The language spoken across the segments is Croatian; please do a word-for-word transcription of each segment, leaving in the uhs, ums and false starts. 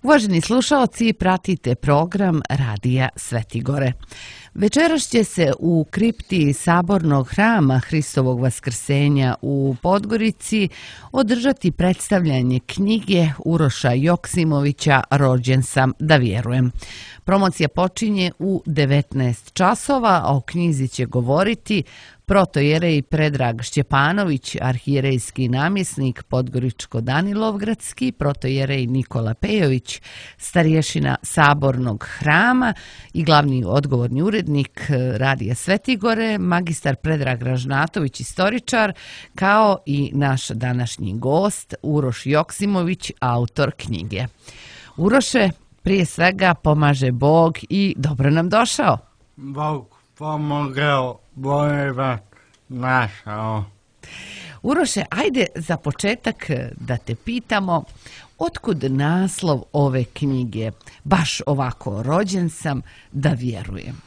Uvaženi slušaoci, pratite program Radija Svetigore. Večeras će se u kripti Sabornog hrama Hristovog Vaskrsenja u Podgorici održati predstavljanje knjige Uroša Joksimovića Rođen sam da vjerujem. Promocija počinje u devetnaest časova, a o knjizi će govoriti protojerej Predrag Šćepanović, arhijerejski namjesnik Podgoričko-Danilovgradski, protojerej Nikola Pejović, starješina Sabornog hrama i glavni odgovorni urednik Radija Svetigore, magistar Predrag Ražnatović, istoričar, kao i naš današnji gost Uroš Joksimović, autor knjige. Uroše, prije svega pomaže Bog i dobro nam došao. Bog pomogao, bolje vas našao. Uroše, ajde za početak da te pitamo, otkud naslov ove knjige? Baš ovako, Rođen sam da vjerujem.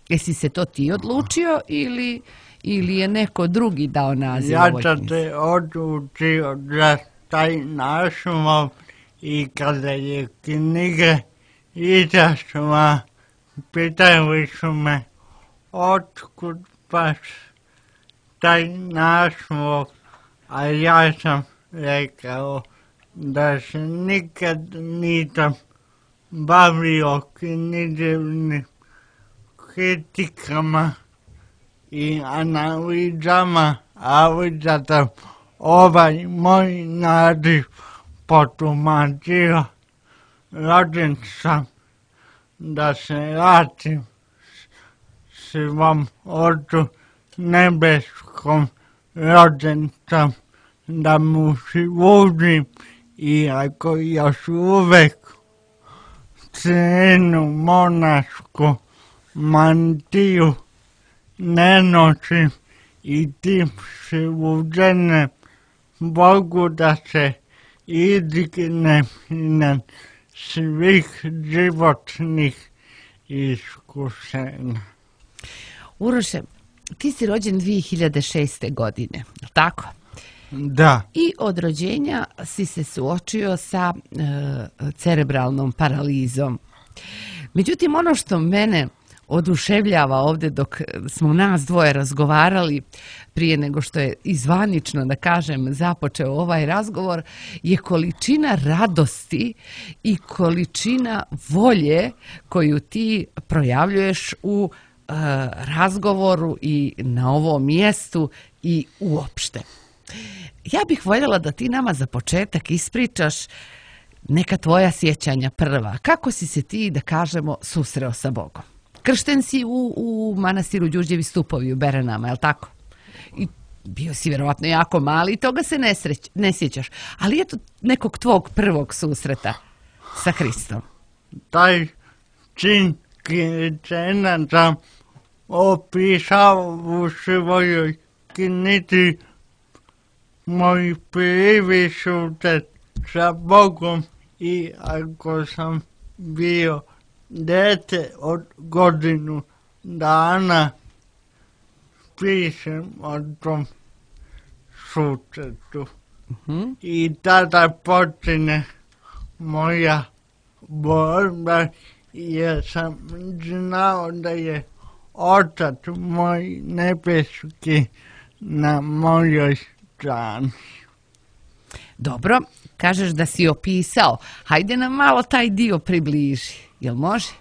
Jesi se to ti odlučio ili, ili je neko drugi dao naziv ja ovoj knjizi? Ja sam se odlučio za taj naslov i kada je knjiga izašla, pitali su me otkud baš taj naslov, a ja sam rekao da se nikad nisam bavio književnim kritikama i analizama, ali zato ovaj moj naziv potumačio. Rođen sam da se vratim svom Ocu nebeskom, rođen sam da mu služim, iako još uvek crnu monašku mantiju ne nosim i tim služenjem Bogu da se izdignem na svih životnih iskušenja. Uroše, ti si rođen dvije hiljade šeste. godine, je tako? Da. I od rođenja si se suočio sa e, cerebralnom paralizom. Međutim, ono što mene oduševljava ovdje dok smo nas dvoje razgovarali prije nego što je izvanično, da kažem, započeo ovaj razgovor, je količina radosti i količina volje koju ti projavljuješ u e, razgovoru i na ovom mjestu i uopšte. Ja bih voljela da ti nama za početak ispričaš neka tvoja sjećanja prva. Kako si se ti, da kažemo, susreo sa Bogom? Kršten si u, u manastiru Đurđevi stupovi u Berenama, je li tako? I bio si vjerovatno jako mali i toga se ne, sreć, ne sjećaš. Ali eto nekog tvog prvog susreta sa Hristom. Taj čin krštenja sam opisao u svojoj knjizi Moj prvi susret sa Bogom, i ako sam bio dete od godinu dana, pišem o tom susretu. Uh-huh. I tada počine moja borba, jer sam znao da je Otac moj nebeski na mojoj strani. Dobro, kažeš da si opisao. Hajde nam malo taj dio približi. Jel može?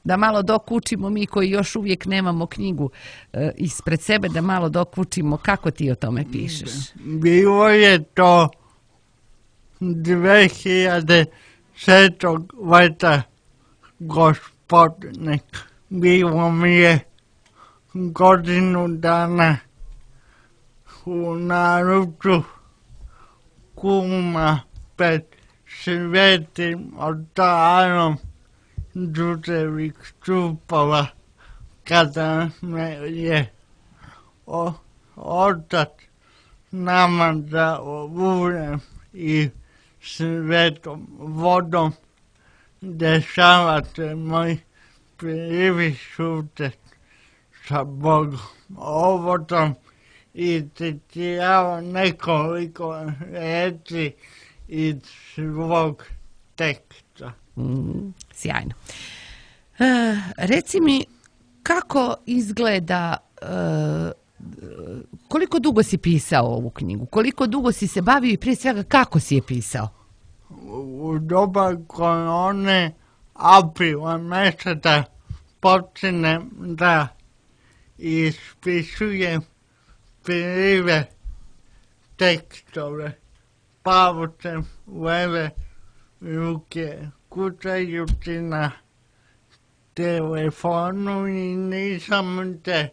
Da malo dok učimo mi koji još uvijek nemamo knjigu e, ispred sebe, da malo dok učimo kako ti o tome pišeš. Bilo je to dve hiljade sedmog. leta gospodine. Bilo mi je godinu dana u naruču kuma pred svetim oltarom Đurđevih stupova, kada me je o, Otac namazao uljem i svetom vodom. Dešava se moj prvi susret sa Bogom. Ovo sam i citirao nekoliko reći iz svog teksta. Mm, sjajno. E, reci mi, kako izgleda, e, koliko dugo si pisao ovu knjigu? Koliko dugo si se bavio i prije svega kako si je pisao? U doba korone, aprila mjeseca, počinem da ispisujem prve tekstove. Pavucem leve ruke, kucajući na telefonu i nisam te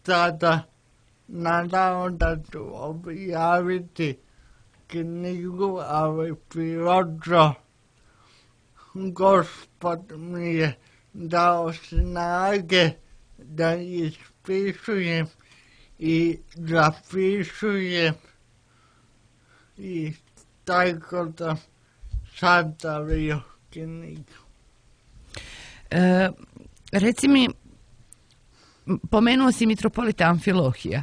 tada nadao da ću objaviti knjigu, ali prirodno Gospod mi je dao snage da ispisujem i zapisujem i tako da sastavio knjigu. E, reci mi, pomenuo si mitropolita Amfilohija.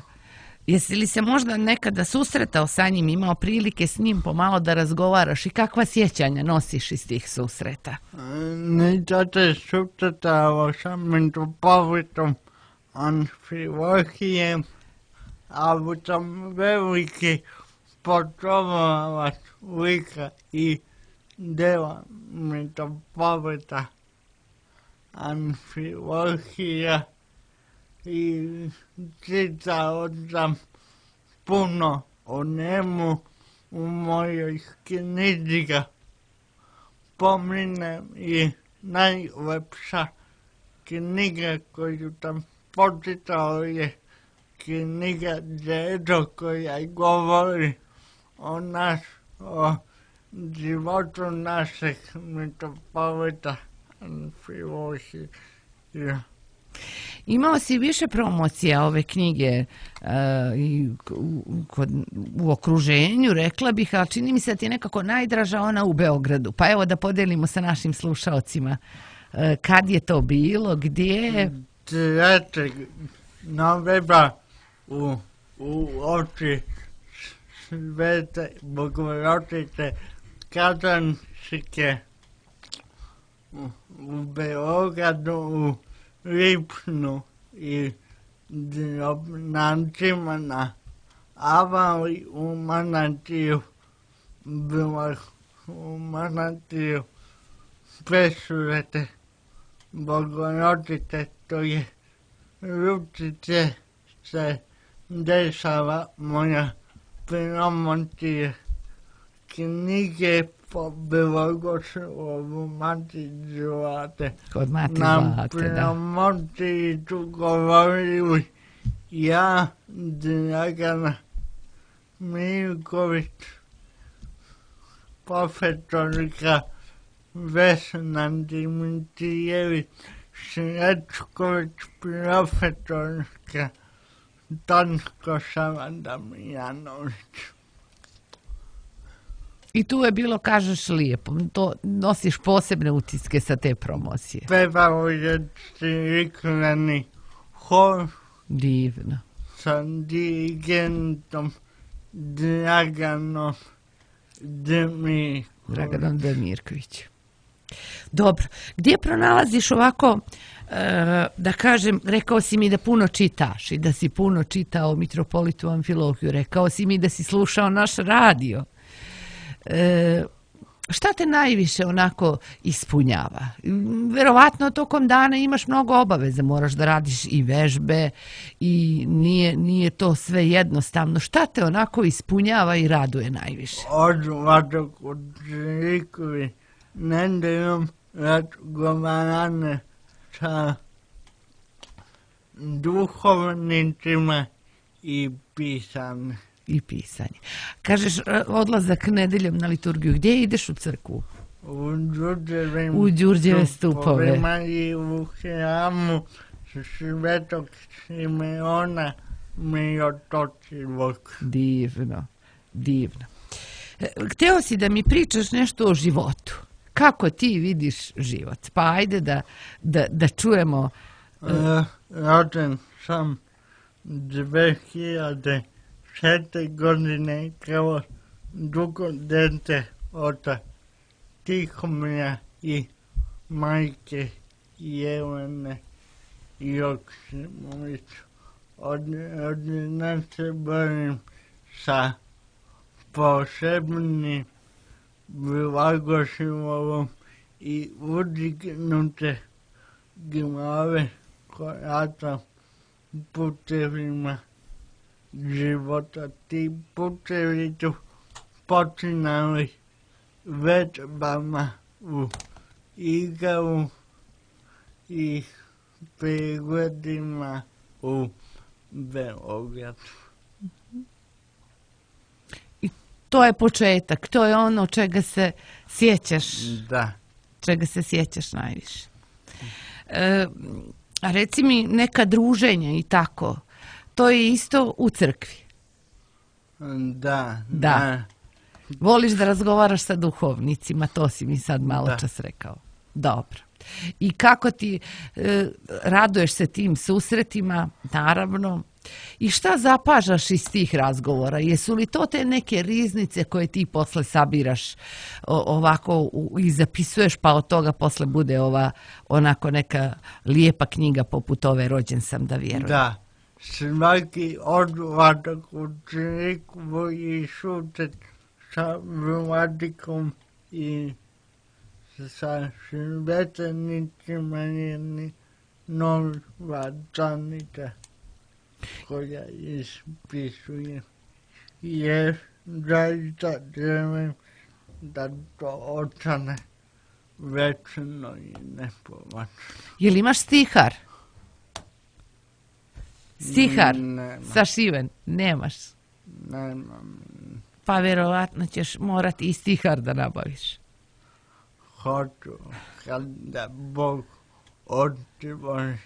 Jesi li se možda nekada susretao sa njim, imao prilike s njim pomalo da razgovaraš i kakva sjećanja nosiš iz tih susreta? Nisam se susretao sa mitropolitom Amfilohijem, ali sam veliki poštovalac lika i dela mitropolita Amfilohija i čitao sam puno o njemu u mojoj knjizi. Pominem i najlepša knjiga koju sam počitao je knjiga Đedo koja govori o nas, o životu našeg mitropolita Amfilohija. Imao si više promocija ove knjige uh, i u, kod, u okruženju, rekla bih, ali čini mi se da ti je nekako najdraža ona u Beogradu. Pa evo da podelimo sa našim slušaocima uh, kad je to bilo, gdje? trećeg novembra u, u oči Svete Bogorodice Kazanske u, u Beogradu, u Lipnu i Drobnancima na Avali u Manastiju, bila u Manastiju Presvete Bogorodice, to je Ručice se dešava moja promocija knjige po Belogoslovu Mati Zlate. Kod Mati Na Zlate, da. promociji su govorili ja, Dragana Milković, profesorka Vesna Dimitrijević, Srećković, profesorka Tanko Savadamjanović. I tu je bilo, kažeš, lijepo. To nosiš posebne utiske sa te promocije. Pevao je ciklani hor Divno. sa dirigentom Draganom Demirković. Draganom Demirković. Dobro. Gdje pronalaziš ovako, e, da kažem, rekao si mi da puno čitaš i da si puno čitao mitropolitu Amfilohiju, rekao si mi da si slušao naš radio. E, šta te najviše onako ispunjava? Verovatno tokom dana imaš mnogo obaveza, moraš da radiš i vežbe i nije, nije to sve jednostavno. Šta te onako ispunjava i raduje najviše? Odlazak u crkvi, nedeljom razgovarane sa duhovnicima i pisane. I pisanje. Kažeš, odlazak nedeljom na liturgiju. Gdje ideš u crkvu? U Đurđevim U Đurđeve stupove. I u hramu Svetog Simeona Mirotočivog. Divno, divno. E, Hteo si da mi pričaš nešto o životu. Kako ti vidiš život? Pa ajde da, da, da čujemo. E, rođen sam dve hiljade šeste godine kao drugo dete od Tihomira i majke Jelene Joksimović. Od, od nas se borim sa posebnim blagoslova i udignute glave koja sam putevima života. Ti putevi su počinali vežbama u Igalu i pregledima u Beogradu. I to je početak, to je ono čega se sjećaš, Da. čega se sjećaš najviše. E, a reci mi, neka druženja i tako, to je isto u crkvi. Da. Da. Voliš da razgovaraš sa duhovnicima, to si mi sad malo Da. čas rekao. Dobro. I kako ti e, raduješ se tim susretima, naravno. I šta zapažaš iz tih razgovora? Jesu li to te neke riznice koje ti posle sabiraš o, ovako u, i zapisuješ, pa od toga posle bude ova onako neka lijepa knjiga poput ove Rođen sam da vjerujem? Da. Svaki odvadak u crkvu i sutet sa vladikom i sa svetenicima je nova zanica koja ispisuje. Jer zaista želim da to ostane večno i nepovačno. Jel imaš stihar? Stihar? Nema. Sašiven? Nemaš. Nemam. Pa vjerovatno ćeš morati i stihar da nabaviš. Hoću kada Bog otvori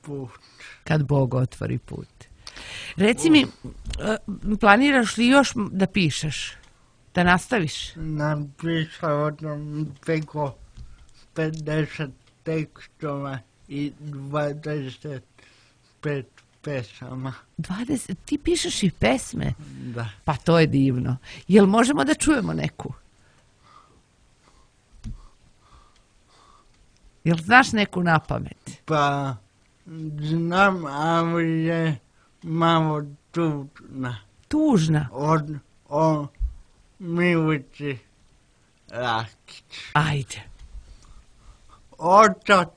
put. Kad Bog otvori put. Reci mi, e, planiraš li još da pišeš? Da nastaviš? Napisao sam preko pedeset tekstova i dvadeset pet pesama. dvadeset, ti pišeš i pesme? Da. Pa to je divno. Jel možemo da čujemo neku? Jel znaš neku na pamet? Pa znam, ali je malo tužna. Tužna. Od o Milici Rakić. Ajde. Otac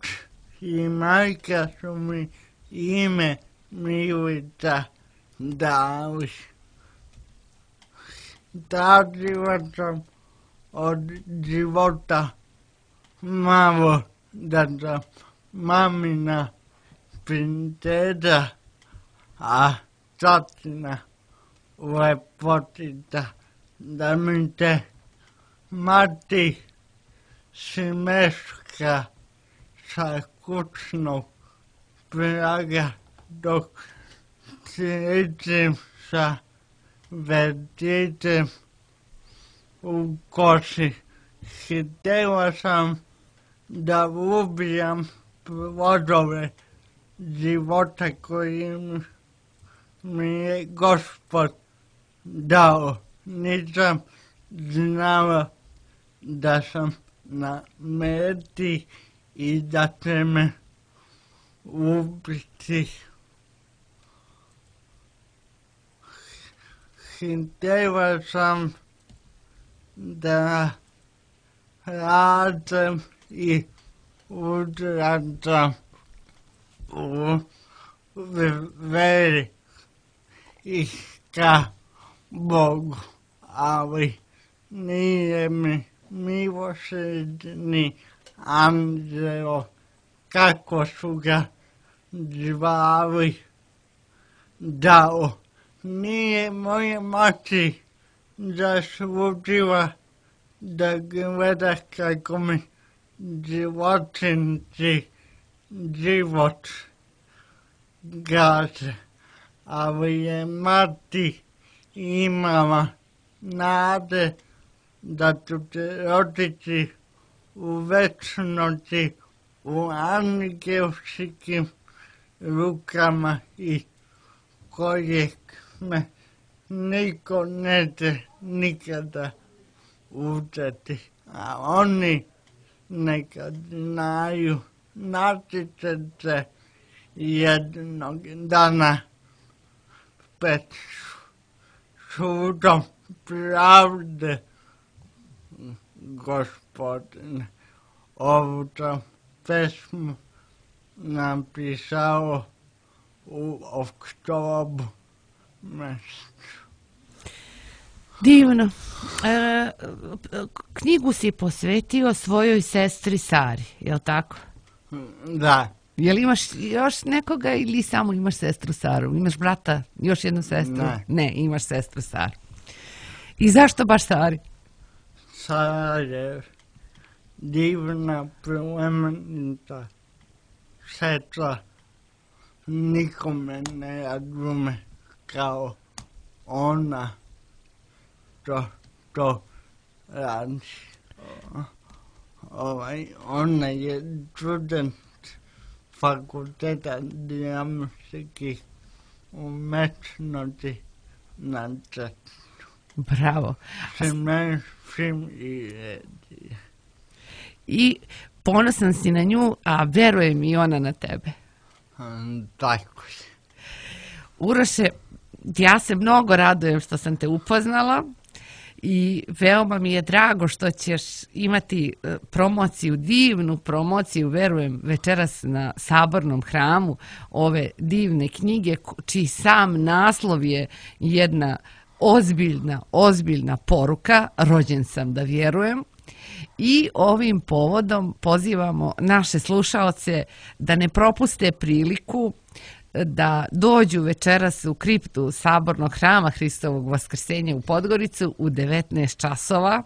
i majka su mi ime Milica dali. Tražila sam od života malo da sam mamina princeza, a tatina lepotica, da mi se mati smeška sa kućnog praga dok sjećam sa vrtićem u koši. Htjela sam da ubijam plodove života koji mi je Gospod dao. Nisam znala da sam na meti i da će me ubiti. Htjela sam da radim i udradim u veri i ka Bogu, ali nije mi milosrdni anđeo, kako su ga zvali, dao. Nije moje mati zaslužila da gleda kako mi životinci život gaze, ali je mati imala nade da ću se roditi u večnosti u angelskim rukama i kojeg me niko neće nikada uzeti. a oni nekad znaju natjecati se jednog dana pred sudom pravde, gospodine. Ovu sam pesmu napisao u oktobru mjesecu. Divno. E, knjigu si posvetio svojoj sestri Sari, je li tako? Da. Jel imaš još nekoga ili samo imaš sestru Saru? Imaš brata, još jednu sestru? Ne. Ne, imaš sestru Saru. I zašto baš Sari? Sara je divna, plemenita sestra. Nikome ne razume kao ona to, to radi. Ovaj, ona je student fakulteta dramskih umetnosti na Cetinju. Bravo. Semen, film i redije. I ponosan si na nju, a verujem i ona na tebe. Um, tako je. Uroše, ja se mnogo radujem što sam te upoznala i veoma mi je drago što ćeš imati e, promociju, divnu promociju, verujem, večeras na Sabornom hramu ove divne knjige, čiji sam naslov je jedna ozbiljna, ozbiljna poruka, rođen sam da vjerujem. I ovim povodom pozivamo naše slušaoce da ne propuste priliku da dođu večeras u kriptu Sabornog hrama Hristovog Vaskrsenja u Podgoricu u devetnaest časova,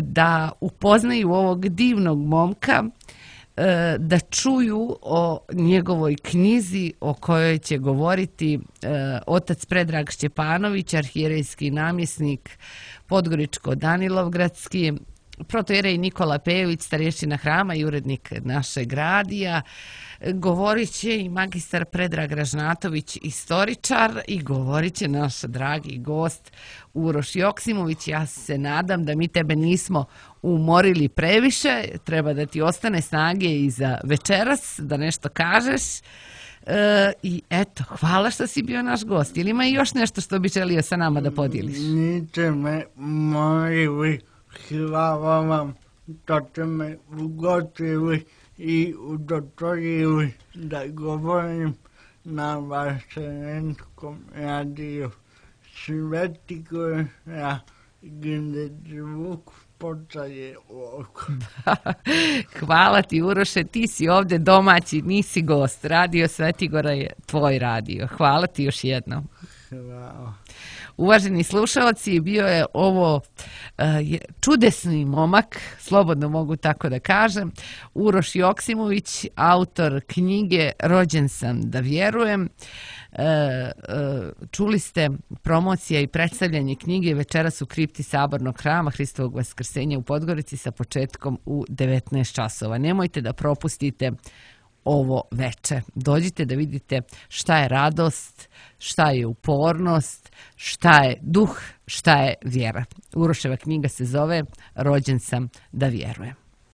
da upoznaju ovog divnog momka, da čuju o njegovoj knjizi o kojoj će govoriti otac Predrag Šćepanović, arhijerejski namjesnik Podgoričko-Danilovgradski, protojerej Nikola Pejović, starješina hrama i urednik našeg radija. Govorit će i magistar Predrag Ražnatović, istoričar, i govorit će naš dragi gost Uroš Joksimović. Ja se nadam da mi tebe nismo umorili previše, treba da ti ostane snage i za večeras, da nešto kažeš. E, I eto, hvala što si bio naš gost. Ili ima još nešto što bi želio sa nama da podijeliš? Niste me morili, hvala vam što ste me ugostili i udostojili da govorim na Vaselenskom radiju. Sveti Gora, gdje zvuk postaje oko. Hvala ti, Uroše, ti si ovdje domaći, nisi gost. Radio Svetigora je tvoj radio. Hvala ti još jednom. Hvala. Uvaženi slušalci, bio je ovo uh, čudesni momak, slobodno mogu tako da kažem, Uroš Joksimović, autor knjige Rođen sam da vjerujem. Uh, uh, čuli ste promocija i predstavljanje knjige večeras u kripti Sabornog hrama Hristovog Vaskrsenja u Podgorici sa početkom u devetnaest časova. Nemojte da propustite ovo veče. Dođite da vidite šta je radost, šta je upornost, šta je duh, šta je vjera. Uroševa knjiga se zove Rođen sam da vjerujem.